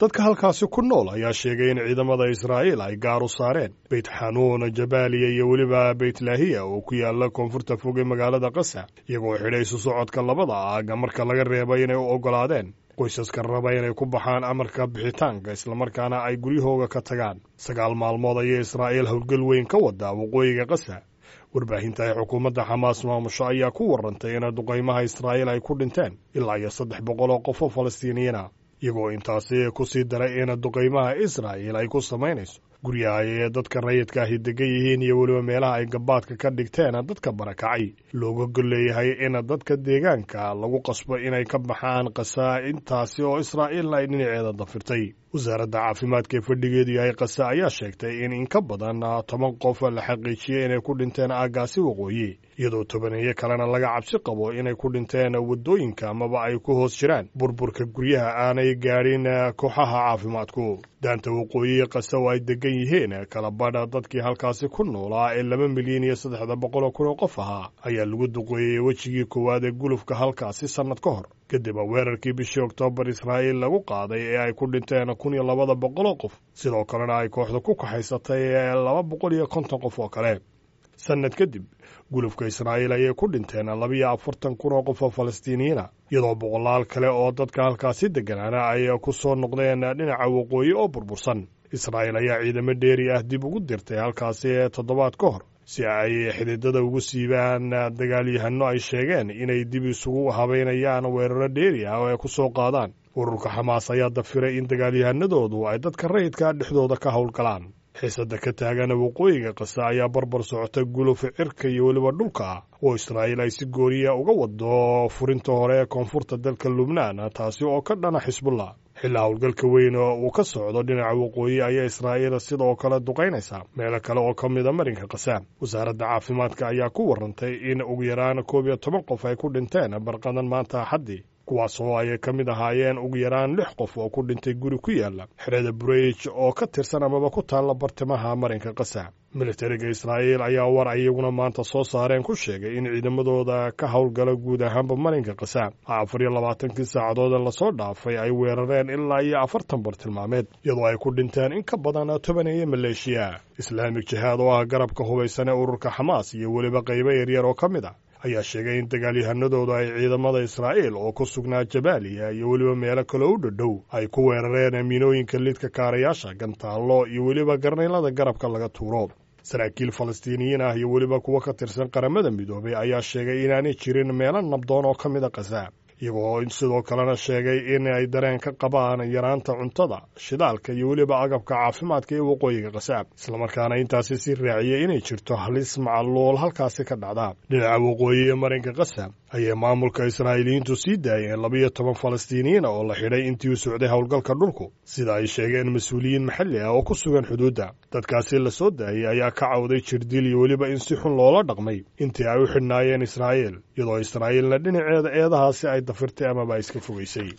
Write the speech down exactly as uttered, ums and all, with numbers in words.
Dadka halkaasi ku nool ayaa sheegay in ciidamada Israa'iil ay gaar u saareen Beyt Xanuun, Jabaaliya iyo weliba Beytlaahiya oo ku yaala koonfurta fog ee magaalada Qasa, iyagoo xidhay isu socodka labada aaga marka laga reebay inay u oggolaadeen qoysaska raba inay ku baxaan amarka bixitaanka, islamarkaana ay guryahooga ka tagaan. Sagaal maalmood ayay Israa'iil howlgal weyn ka wadaa waqooyiga Qasa. Warbaahinta ay xukuumadda Xamaas maamusho ayaa ku warantay in duqaymaha Israa'iil ay ku dhinteen ilaa iyo saddex boqol oo qof oo Falastiiniyiin ah, iyagoo intaasi ku sii daray in duqaymaha Israa'iil ay ku samaynayso guryaha ay dadka rayidka ahi degan yihiin iyo weliba meelaha ay gabaadka ka dhigteen dadka barakacay looga golleeyahay in dadka deegaanka lagu qasbo inay ka baxaan Qasa, intaasi oo Israa'iilna ay dhinaceeda dafirtay. Wasaaradda caafimaadka ee fadhigeedu yahay Qasa ayaa sheegtay in in ka badan toban qof la xaqiijiyey inay ku dhinteen aaggaasi waqooyi, iyadoo tobaneeyo kalena laga cabsi qabo inay ku dhinteen waddooyinka amaba ay ku hoos jiraan burburka guryaha aanay gaadhin kooxaha caafimaadku. Daanta waqooyi Qasa oo ay degan yihiin kala badha dadkii halkaasi ku noolaa ee laba milyan iyo saddexda boqol oo kun oo qof ahaa ayaa lagu duqeeyey wejigii koowaad ee gulufka halkaasi sannad ka hor, kadib weerarkii bishii Oktoobar Israa'iil lagu qaaday ee ay ku dhinteen kun iyo labada boqol oo qof, sidoo kalena ay kooxda ku kaxaysatay laba boqol iyo konton qof oo kale. Sannad kadib gulufka Israa'iil ayay ku dhinteen labiyo afartan kun oo qof oo Falastiiniyiina, iyadoo boqolaal kale oo dadka halkaasi degganaana ay ku soo noqdeen dhinaca waqooyi oo burbursan. Israa'iil ayaa ciidamo dheeri ah dib ugu dirtay halkaasi toddobaad ka hor si ay xididada ugu siibaan dagaalyahanno ay sheegeen inay dib isugu habaynayaan weeraro dheeri ah oo ay ku soo qaadaan. Ururka Xamaas ayaa dafiray in dagaalyahanadoodu ay dadka rayidka dhexdooda ka howlgalaan. Xiisadda ka taagan waqooyiga Qasa ayaa barbar socota guluf cirka iyo weliba dhulka ah oo Israa'iil ay si gooriya uga wado furinta hore ee koonfurta dalka Lubnaan, taasi oo ka dhana Xisbullah. Xillaa howlgalka weyn uu ka socdo dhinaca waqooyi ayaa Israa'iil sidoo kale duqaynaysaa meelo kale oo ka mida marinka Qasa. Wasaaradda caafimaadka ayaa ku warantay in ugu yaraan koob iyo toban qof ay ku dhinteen barqadan maanta Axaddii, kuwaas oo ay ka mid ahaayeen ugu yaraan lix qof oo ku dhintay guri ku yaala xerada Bureyj oo ka tirsan amaba ku taalla bartimaha marinka Qasa. Militariga Israa'iil ayaa war iyaguna maanta soo saareen ku sheegay in ciidamadooda ka howlgala guud ahaanba marinka Qasa afar iyo labaatankii saacadood lasoo dhaafay ay weerareen ilaa iyo afartan bartilmaameed, iyadoo ay ku dhinteen in ka badan tobaneeyo maleeshiya. Islaamic Jihaad oo ah garabka hubaysan ee ururka Xamaas iyo weliba qaybo yaryar oo ka mid ah ayaa sheegay in dagaalyahanadooda ay ciidamada Israa'iil oo ku sugnaa Jabaaliya iyo weliba meelo kale u dhadhow ay ku weerareen amiinooyinka lidka kaarayaasha, gantaallo iyo weliba garnaylada garabka laga tuuro. Saraakiil Falastiiniyiin ah iyo weliba kuwo ka tirsan Qaramada Midoobay ayaa sheegay inaanay jirin meelo nabdoon oo ka mid a Qasa, iyagoo sidoo kalena sheegay in ay dareen ka qabaan yaraanta cuntada, shidaalka iyo weliba agabka caafimaadka ee waqooyiga Qasa, islamarkaana intaasi sii raaciyey inay jirto halis macaluul halkaasi ka dhacda. Dhinaca waqooyi ee marinka Qasa ayay maamulka Israa'iiliyiintu sii daayeen labiyo toban Falastiiniyiin oo la xidhay intii u socday howlgalka dhulku, sida ay sheegeen mas-uuliyiin maxalli ah oo ku sugan xuduudda. Dadkaasi la soo daayey ayaa ka cawday jirdil iyo weliba in si xun loola dhaqmay intii ay u xidhnaayeen Israa'iil, iyadoo Israa'iilna dhinaceeda eedahaasi ay dafirtay amaba iska fogaysay.